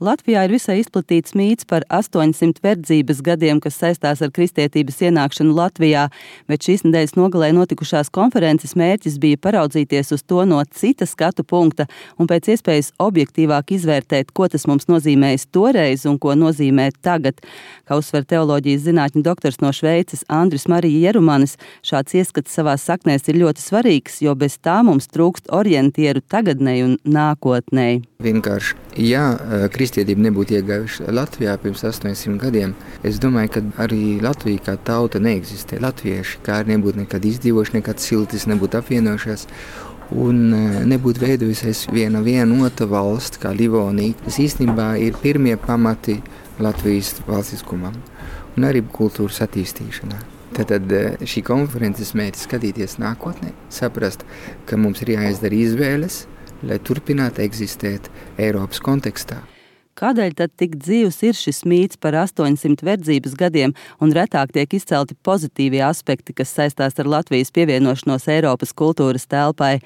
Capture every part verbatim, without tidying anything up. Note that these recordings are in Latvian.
Latvijā ir visai izplatīts mīts par astoņsimt verdzības gadiem, kas saistās ar kristietības ienākšanu Latvijā, bet šīs nedēļas nogalē notikušās konferences mērķis bija paraudzīties uz to no cita skatu punkta un pēc iespējas objektīvāk izvērtēt, ko tas mums nozīmējis toreiz un ko nozīmē tagad. Kā uzsver teoloģijas zinātņu doktors no Šveices Andris Marija Jerumanis, šāds ieskats savās saknēs ir ļoti svarīgs, jo bez tā mums trūkst orientieru tagadnei un nākotnei. Vienkārši, ja kristietība nebūtu iegājuši Latvijā pirms astoņsimt gadiem, es domāju, ka arī Latvija kā tauta neeksistē. Latvieši kā arī nebūtu nekad izdzīvojuši, nekad siltis nebūtu apvienojušies un nebūtu veidojusies viena vienota valsts kā Livonija. Tas īstenībā ir pirmie pamati Latvijas valstiskumam un arī kultūras attīstīšanā. Tātad šī konferences mērķis skatīties nākotnē, saprast, ka mums ir jāizdara izvēles, lai turpinātu eksistēt Eiropas kontekstā. Kādēļ tad tik dzīvs ir šis mīts par astoņsimt verdzības gadiem un retāk tiek izcelti pozitīvie aspekti, kas saistās ar Latvijas pievienošanos Eiropas kultūras telpai?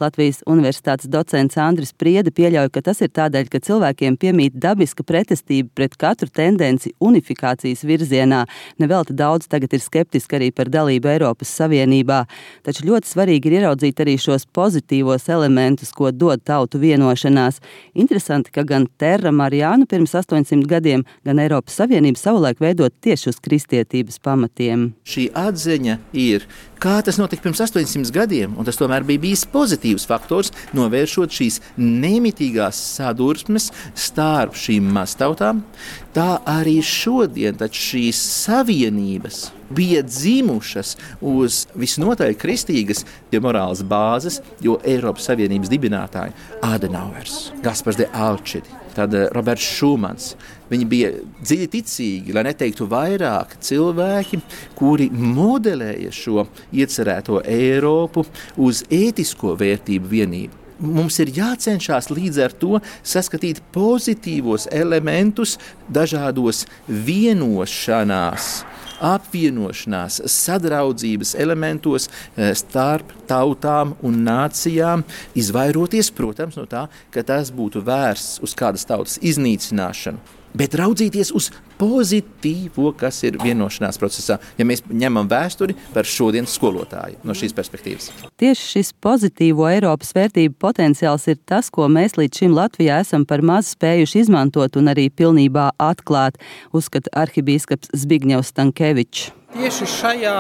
Latvijas universitātes docents Andris Priede pieļauj, ka tas ir tādēļ, ka cilvēkiem piemīt dabiska pretestība pret katru tendenci unifikācijas virzienā. Nevelti daudz tagad ir skeptiski arī par dalību Eiropas Savienībā. Taču ļoti svarīgi ir ieraudzīt arī šos pozitīvos elementus, ko dod tautu vienošanās. Interesanti, ka gan Terra Mariānu pirms astoņsimt gadiem, gan Eiropas Savienība savulaik veidot tieši uz kristietības pamatiem. Šī atziņa ir, kā tas notika pirms astoņsimt gadiem, un tas tomēr bija bijis pozitīvs faktors, novēršot šīs nemitīgās sadursmes starp šīm maztautām. Tā arī šodien taču šīs savienības bija dzimušas uz visnotaļ kristīgas morāles bāzes, jo Eiropas Savienības dibinātāji Adenauers, Gaspars de Alčidi, tad Roberts Šumans. Viņi bija dziļi ticīgi, lai neteiktu vairāk cilvēki, kuri modelēja šo iecerēto Eiropu uz ētisko vērtību vienību. Mums ir jācenšas līdz ar to saskatīt pozitīvos elementus dažādos vienošanās, apvienošanās, sadraudzības elementos starp tautām un nācijām, izvairoties, protams, no tā, ka tas būtu vērsts uz kādas tautas iznīcināšanu, bet raudzīties uz pozitīvo, kas ir vienošanās procesā, ja mēs ņemam vēsturi par šodienas skolotāju no šīs perspektīvas. Tieši šis pozitīvo Eiropas vērtību potenciāls ir tas, ko mēs līdz šim Latvijā esam par maz spējuši izmantot un arī pilnībā atklāt, uzskata arhibīskaps Zbigņevs Stankevičs. Tieši šajā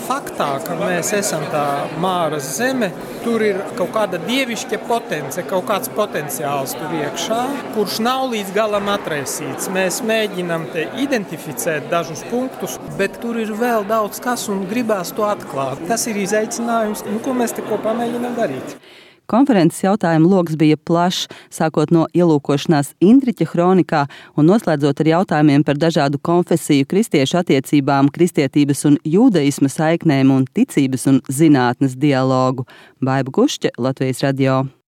faktā, ka mēs esam tā Māras zeme, tur ir kaut kāda dievišķa potence, kaut kāds potenciāls tur iekšā, kurš nav līdz galam atraisīts. Mēs mēģinam te identificēt dažus punktus, bet tur ir vēl daudz kas un gribās to atklāt. Tas ir izaicinājums, nu, ko mēs te kopā mēģinam darīt. Konferences jautājumu loks bija plašs, sākot no ielūkošanās Intriķa hronikā un noslēdzot ar jautājumiem par dažādu konfesiju kristiešu attiecībām, kristietības un jūdaisma saiknēm un ticības un zinātnes dialogu. Baiba Gušķe, Latvijas radio.